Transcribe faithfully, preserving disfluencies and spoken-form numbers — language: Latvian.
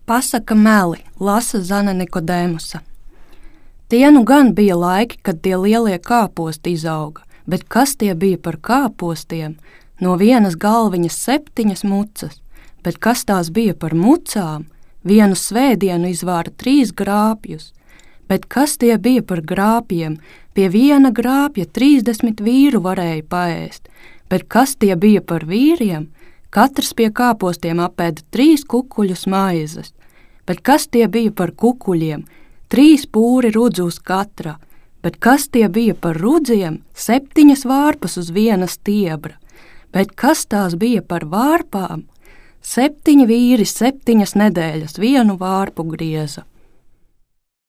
Pasaka meli, lasa Zane Nikodēmusa. Tie nu gan bija laiki, kad tie lielie kāposti izauga, bet kas tie bija par kāpostiem? No vienas galviņas septiņas mucas, bet kas tās bija par mucām? Vienu svētdienu izvāra trīs grāpjus, bet kas tie bija par grāpjiem? Pie viena grāpja trīsdesmit vīru varēja paēst, bet kas tie bija par vīriem? Katrs pie kāpostiem apēda trīs kukuļus maizes, bet kas tie bija par kukuļiem? Trīs pūri rudzu uz katra, bet kas tie bija par rudziem? Septiņas vārpas uz viena stiebra, bet kas tās bija par vārpām? Septiņi vīri septiņas nedēļas vienu vārpu grieza.